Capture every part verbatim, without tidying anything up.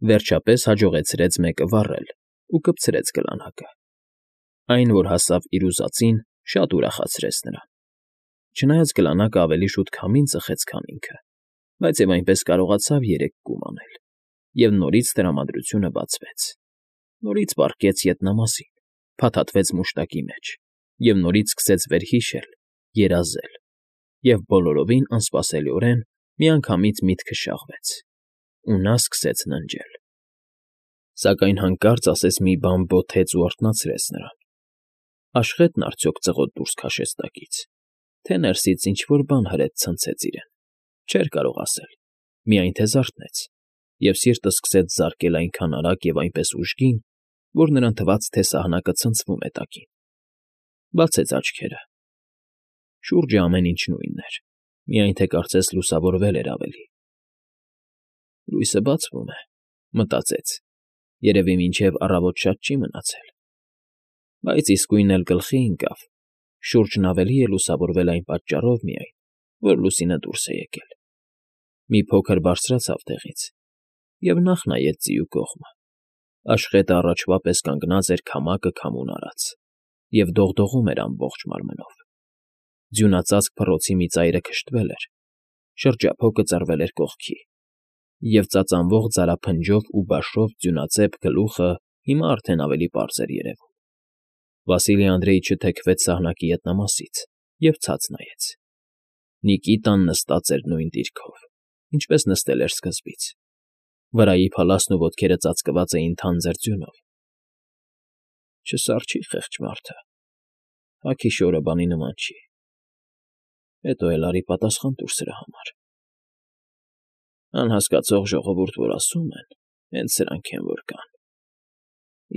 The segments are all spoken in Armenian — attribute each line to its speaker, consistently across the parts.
Speaker 1: Վերջապես հաջողեցրեց մեկը վառել ու կպցրեց գլանակը. այն, որ հասավ իր ուզածին, շատ ուրախացրեց նրան. չնայած գլանակն ավելի շուտ քամին ծխեց, քան ինքը, բայց և այնպես կարողացավ երեք կում անել, և նորից տրամադրությունը բացվեց, նորից պառկեց ետնամասին, փաթաթվեց մուշտակի մեջ և նորից սկսեց վերհիշել, երազել, և բոլորովին անսպասելիորեն միանգամից միտքը շաղվեց, ու նա սկսեց ննջել. Սակայն հանկարծ ասես մի բան բոթեց ու արթնացրեց նրան. աշխե՞տն արդյոք ծղոտ դուրս քաշեց տակից, թե ներսից ինչ֊որ բան հրետ ցնցեց իրեն, չէր կարող ասել, միայն թե զարթնեց, և սիրտը սկսեց զարկել այնքան արագ և այնպես ուժգին, որ նրան թվաց, թե սահնակը ցնցվում է տակին. բացեց աչքերը. շուրջը ամեն ինչ նույնն էր, միայն թե կարծես լուսավորվել էր ավելի. լույսը բացվում է, մտածեց, երևի մինչև առավոտ շատ չի մնացել, բայց իսկույն էլ գլխի ընկավ. շուրջն ավելի է լուսավորվել այն պատճառով միայն, որ լուսինը դուրս է եկել. մի փոքր բարձրացավ տեղից և նախ նայեց ձիու կողմը. աշխետը առաջվա պես կանգնած էր քամակը քամուն արած և դողդողում էր ամբողջ մարմնով. ձյունածածկ փռոցի մի ծայրը քշտվել էր, շրջափոկը ծռվել էր կողքի, և ծածանվող ձարափնջով ու բաշով ձյունածեպ գլուխը հիմա արդեն ավելի պարզ էր երևում. Վասիլի Անդրեիչը թեքվեց սահնակի ետնամասից և ցած նայեց. Նիկիտան նստած էր նույն դիրքով, ինչպես նստել էր սկզբից. վրայի փալասն ու ոտքերը ծածկված էին թանձր ձյունով. չսառչի խեղճ մարդը, հագի շորը բանի նման չի, հետո էլ արի պատասխան տուր սրա համար. անհասկացող ժողովուրդ, որ ասում են, հենց սրանք են, որ կան,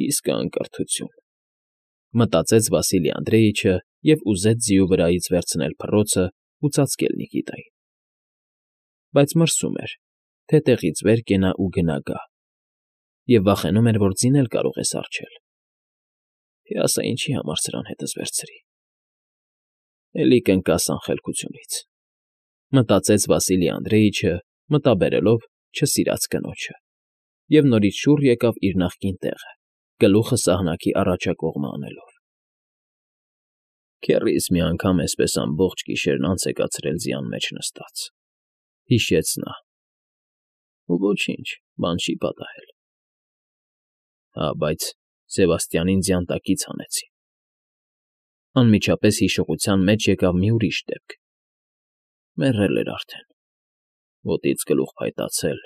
Speaker 1: իսկ անկրթություն, մտածեց Վասիլի Անդրեիչը և ուզեց ձիու վրայից վերցնել փռոցն ու ծածկել Նիկիտային. բայց մրսում էր, թե տեղից վեր կենա ու գնա գա, և վախենում էր, որ ձին էլ կարող է սառչել. թե ասա ինչի համար սրան հետս վերցրի, էլի կընկաս անխելքությունից, մտածեց Վասիլի Անդրեիչը, մտաբերելով չսիրած կնոջը, և նորից շուռ եկավ իր նախկին տեղը, գլուխը սահնակի առաջակողմը անելով. քեռիս մի անգամ էսպես ամբողջ գիշերն անց է կացրել ձյան մեջ նստած, հիշեց նա, ու ոչինչ, բան չի պատահել. հա, բայց Սևաստիանին ձյան տակից հանեցին. անմիջապես հիշողության մեջ եկավ մի ուրիշ դեպք. մեռել էր արդեն, ոտից գլուխ փայտացել,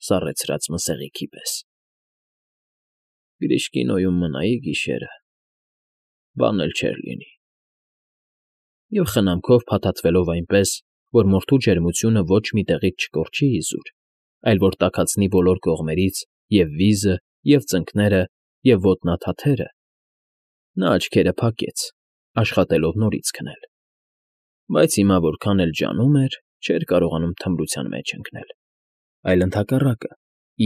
Speaker 1: սառեցրած մսեղիքի պես. Գրիշկինոյում մնայի գիշերը, բան էլ չէր լինի. և խնամքով փաթաթվելով այնպես, որ մորթու ջերմությունը ոչ մի տեղից չկորչի իզուր, այլ որ տաքացնի բոլոր կողմերից և վիզը, և ծնկները, և ոտնաթաթերը, նա աչքերը փակեց, աշխատելով նորից քնել, բայց հիմա որքան էլ ջանում էր, չէր կարողանում թմրության մեջ ընկնել, այլ ընդհակառակը,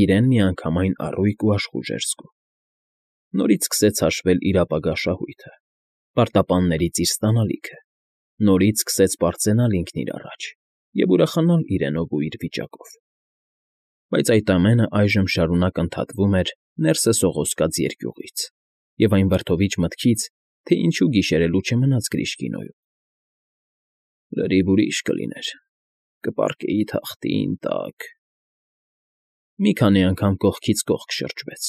Speaker 1: իրեն միանգամայն առույգ ու աշխույժ էր զգում. նորից սկսեց հաշվել իր ապագա շահույթը, պարտապաններից իր ստանալիքը, նորից սկսեց պարծենալ ինքն իր առաջ և ուրախանալ իրենով ու իր վիճակով. բայց այդ ամենը այժմ շարունակ ընդհատվում էր ներսը սողոսկած երկյուղից և այն վրդովիչ մտքից, թե ինչու գիշերելու չմնաց Գրիշկինոյում. լրիվ ուրիշ կլիներ, կպառկեի թախտին տակ… Մի քանի անգամ կողքից կողք շրջվեց,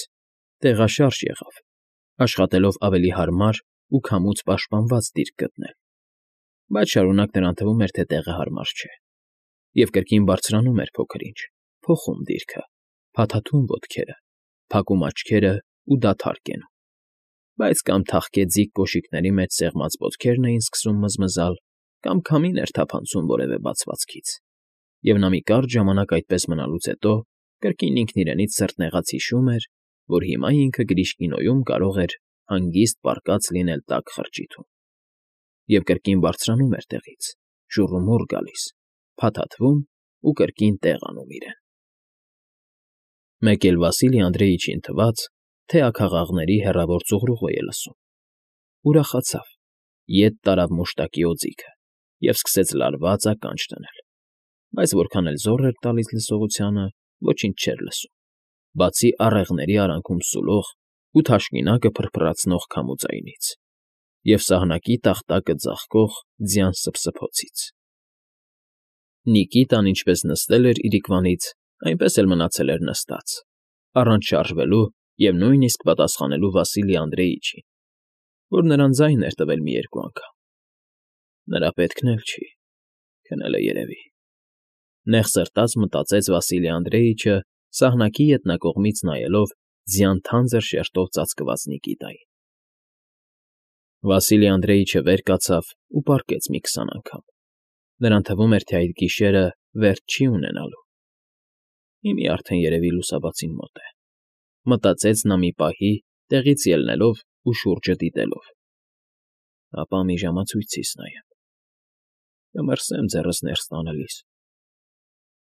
Speaker 1: տեղաշարժ եղավ, աշխատելով ավելի հարմար ու քամուց պաշտպանված դիրք գտնել, բայց շարունակ նրան թվում էր, թե տեղը հարմար չէ, և կրկին բարձրանում էր փոքր֊ինչ, փոխում դիրքը, փաթաթում ոտքերը, փակում աչքերն ու դադար կենում, բայց կամ թախկեձիկ կոշիկների մեջ սեղմած ոտքերն էին սկսում մզմզալ, կամ քամին էր թափանցում որևէ բացվածքից, և նա մի կարճ ժամանակ այդպես մնալուց հետո կրկին ինքն իրենից սրտնեղած հիշում էր, որ հիմա ինքը Գրիշկինոյում կարող էր հանգիստ պառկած լինել տաք խրճիթում, և կրկին բարձրանում էր տեղից, շուռումուռ գալիս, փաթաթվում ու կրկին տեղ անում իրեն… Մեկ էլ Վասիլի Անդրեիչին թվաց, թե աքաղաղների հեռավոր ծուղրուղո է լսում, ուրախացավ, ետ տարավ մուշտակի օձիքը և սկսեց լարված ականջ դնել, բայց որքան էլ զոռ էր տալիս լսողությանը, ոչինչ չէր լսում, բացի առեղների արանքում սուլող ու թաշկինակը փրփրացնող քամու ձայնից և սահնակի տախտակը ձաղկող ձյան սփսփոցից։ Նիկիտան ինչպես նստել էր իրիկվանից, այնպես էլ մնացել էր նստած, առանց շարժվելու և նույնիսկ պատասխանելու Վասիլի Անդրեիչին, որ նրան ձայն էր տվել մի երկու անգամ։ Նրա պետքն էլ չի, քնել է երևի, նեղ սրտած մտածեց Վասիլի Անդրեիչը, սահնակի ետնակողմից նայելով ձյան թանձր շերտով ծածկված Նիկիտային։ Վասիլի Անդրեիչը վեր կացավ ու պառկեց մի քսան անգամ. նրան թվում էր, թե այդ գիշերը վերջ չի ունենալու։ Հիմի արդեն երևի լուսաբացին մոտ է, մտածեց նա մի պահի, տեղից ելնելով ու շուրջը դիտելով։ Ապա մի ժամացույցիս նայեմ, կմրսեմ ձեռս ներս տանելիս։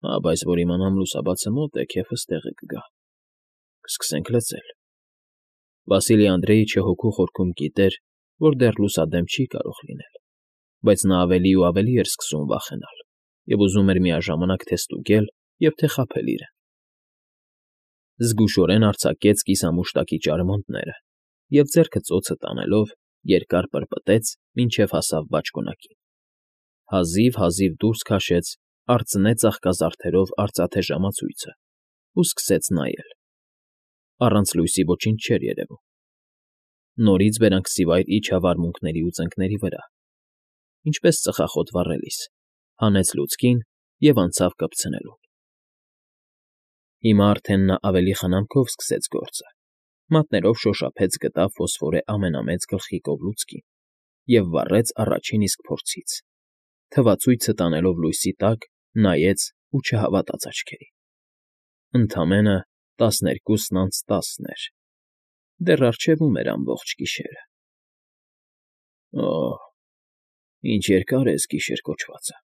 Speaker 1: Հա, բայց որ իմանամ լուսաբացը մոտ է, քեֆս տեղը կգա, կսկսենք լծել։ Վասիլի Անդրեիչը հոգու խորքում գիտեր, որ դեռ լուսադեմ չի կարող լինել, բայց նա ավելի ու ավելի էր սկսում վախենալ և ուզում էր միաժամանակ թե ստուգել և թե խաբել իրեն։ Զգուշորեն արձակեց կիսամուշտակի ճարմանտները և ձեռքը ծոցը տանելով երկար պրպտեց, մինչև հասավ բաճկոնակին։ Հազիվ֊հազիվ դուրս քաշեց արծնե ծաղկազարդերով արծաթե ժամացույցը ու սկսեց նայել։ Առանց լույսի ոչինչ չէր երևում։ Նորից բերանքսիվայր իջավ արմունկների ու ծնկների վրա, ինչպես ծխախոտ վառելիս, հանեց լուցկին և անցավ կպցնելուն։ Հիմա արդեն նա ավելի խնամքով սկսեց գործը, մատներով շոշափեց գտավ ֆոսֆորե ամենամեծ գլխիկով լուցկին և վառեց առաջին իսկ փորձից, թվացույցը տանելով լույսի տակ, նայեց ու չհավատաց աչքերին։ Ընդամենը տասներկուսն անց տասն էր, դեռ առջևում էր ամբողջ գիշերը։ Օհ, ինչ երկար է էս գիշեր կոչվածը,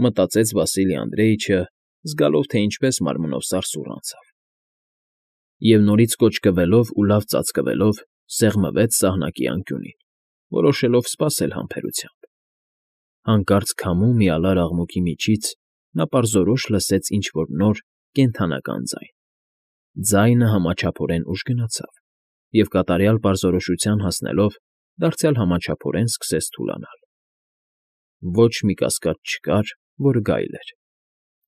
Speaker 1: մտածեց Վասիլի Անդրեիչը, զգալով, թե ինչպես մարմնով սարսուռ անցավ։ Եվ նորից կոճկվելով ու լավ ծածկվելով սեղմվեց սահնակի անկյունին, որոշելով սպասել համբերությամբ։ Հանկարծ քամու մի ալար աղմուկի միջից նա պարզորոշ լսեց ինչ֊որ նոր, կենդանական ձայն։ Ձայնը համաչափորեն ուժ գնացավ և կատարյալ պարզորոշության հասնելով դարձյալ համաչափորեն սկսեց թուլանալ։ Ոչ մի կասկած չկար, որ գայլ էր,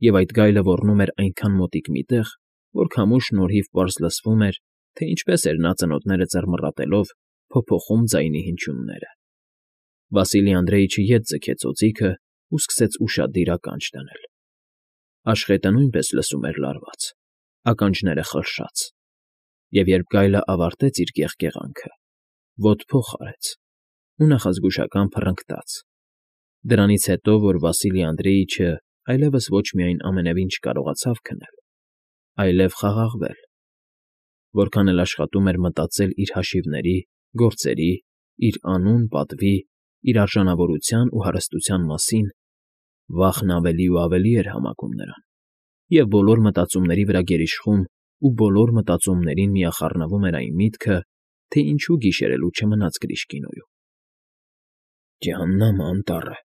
Speaker 1: և այդ գայլը ոռնում էր այնքան մոտիկ մի տեղ, որ քամու շնորհիվ պարզ լսվում էր, թե ինչպես էր նա ծնոտները ձեռմռատելով փոփոխում ձայնի հնչյունները։ Վասիլի Անդրեիչը ետ ձգեց օձիքը ու սկսեց ուշադիր ականջ դնել։ Աշխետը նույնպես լսում էր լարված, ականջները խլշաց, և երբ գայլը ավարտեց իր կեղկեղանքը, ոտփոխ արեց ու նախազգուշական փռնգտաց։ Դրանից հետո, որ Վասիլի Անդրեիչը այլևս ոչ միայն ամենևին չկարողացավ քնել, այլև խաղաղվել, որքան էլ աշխատում էր մտածել իր հաշիվների, գործերի, իր անուն, պատվի, իր արժանավորության ու հարստության մասին, վախն ավելի ու ավելի էր համակում նրան, և բոլոր մտածումների վրա գերիշխում ու բոլոր մտածումներին միախառնվում էր այն միտքը, թե ինչու գիշերելու չմնաց Գրիշկինոյում։ Ջհաննամը անտառը,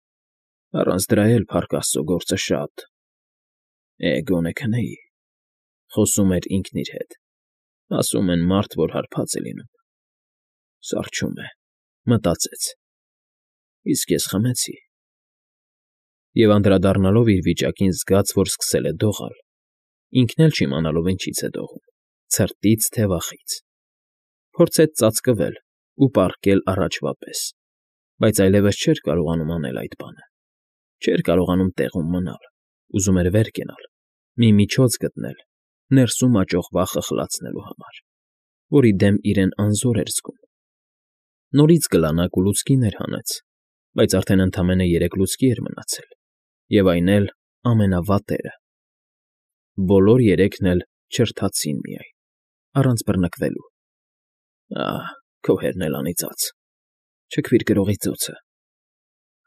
Speaker 1: առանց դրա էլ, փառք աստծո, գործը շատ… Է, գոնե քնեի, խոսում էր ինքն իր հետ, ասում են, մարդ, որ հարբած է լինում, սառչում է, մտածեց, իսկ ես խմեցի… Եվ անդրադառնալով իր վիճակին զգաց, որ սկսել է դողալ, ինքն էլ չիմանալով ինչից է դողում՝ ցրտից, թե վախից։ Փորձեց ծածկվել ու պառկել առաջվա պես, բայց այլևս չէր կարողանում անել այդ բանը, չէր կարողանում տեղում մնալ, ուզում էր վեր կենալ, մի միջոց գտնել ներսում աճող վախը խլացնելու համար, որի դեմ իրեն անզոր էր զգում։ Նորից կլանակ ու լուցկիներ հանեց, բայց արդեն ընդամենը երեք լուցկի էր մնացել, և այն էլ ամենավատերը։ Բոլոր երեքն էլ չրթացին միայն, առանց բռնկվելու։ Ահ, քո հերն էլ անիծած… Չքվիր գրողի ծոցը…֊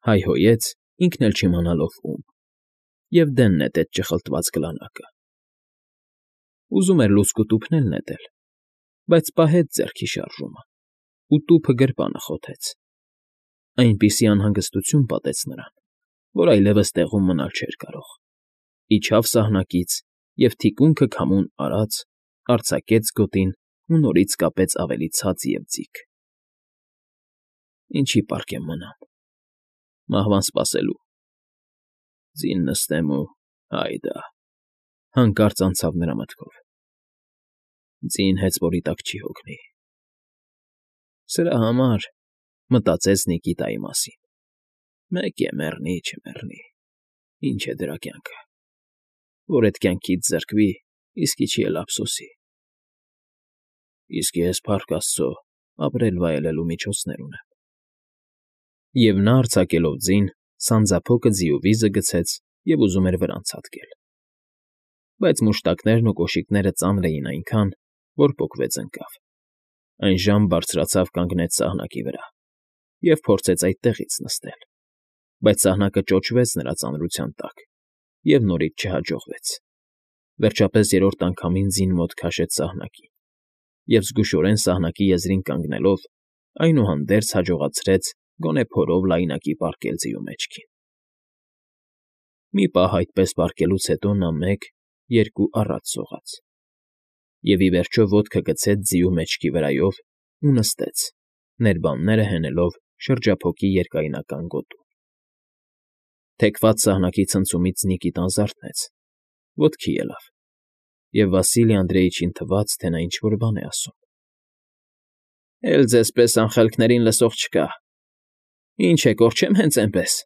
Speaker 1: հայհոյեց, ինքն էլ չիմանալով ում, և դեն նետեց ճխլտված գլանակը։ Ուզում էր լուցկու տուփն էլ նետել, բայց պահեց ձեռքի շարժումը ու տուփը գրպանը խոթեց։ Այնպիսի անհանգստություն պատեց նրան, որ այլևս տեղում մնալ չէր կարող։ Իջավ սահնակից և թիկունքը քամուն արած արձակեց գոտին ու նորից կապեց ավելի ցած և ձիգ։ Ինչի պարկ եմ մնամ, մահվան սպասելու։ Ձին նստեմ ու հայդա, հանկարծ անցավ նրա մտքով։ Ձին հեծվորի տակ չի հոգնի։ Սրա համար, մտածեց Նիկիտայի մասին, մեկ է մեռնի, չմեռնի, ինչ է դրա կյանքը, որ էդ կյանքից զրկվի, իսկի չի էլ ափսոսի։ Իսկ ես, փառք Աստծո, ապրել֊վայելելու միջոցներ ունեմ։ Եվ նա արձակելով ձին, սանձափոկը ձիու վիզը գցեց և ուզում էր վրան ցատկել։ Բայց մուշտակներն ու կոշիկները ծանր էին այնքան, որ պոկվեց ընկավ։ Այժմ բարձրացավ կանգնեց սահնակի վրա և փորձեց այդտեղից նստել, բայց սահնակը ճոճվեց նրա ծանրության տակ և նորից չհաջողվեց։ Վերջապես երրորդ անգամին ձին մոտ քաշեց սահնակին և զգուշորեն սահնակի եզրին կանգնելով, այնուհանդերձ հաջողացրեց գոնե փորով լայնակի պառկել ձիու մեջքին։ Մի պահ այդպես պառկելուց հետո նա մեկ, երկու առաջ սողաց և, ի վերջո, ոտքը գցեց ձիու մեջքի վրայով ու նստեց, ներբանները հենելով շրջափոկի երկայնական գոտուն։ Թեքված սահնակի ցնցումից Նիկիտան զարթնեց, ոտքի ելավ, և Վասիլի Անդրեիչին թվաց, թե նա ինչ֊որ բան է ասում։ ֊ Էլ ձեզ պես անխելքներին լսող չկա, ինչ է, կորչե՞մ հենց այնպես,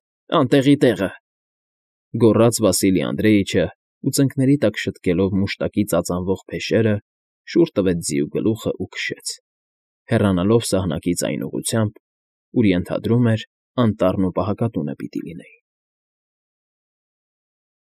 Speaker 1: անտեղի տեղը,֊ գոռաց Վասիլի Անդրեիչը ու ծնկների տակ շտկելով մուշտակի ծածանվող փեշերը, շուռ տվեց ձիու գլուխն ու քշեց, հեռանալով սահնակից այն ուղղությամբ, ուր ենթադրում էր անտառն ու պահակատունը պիտի լինեին։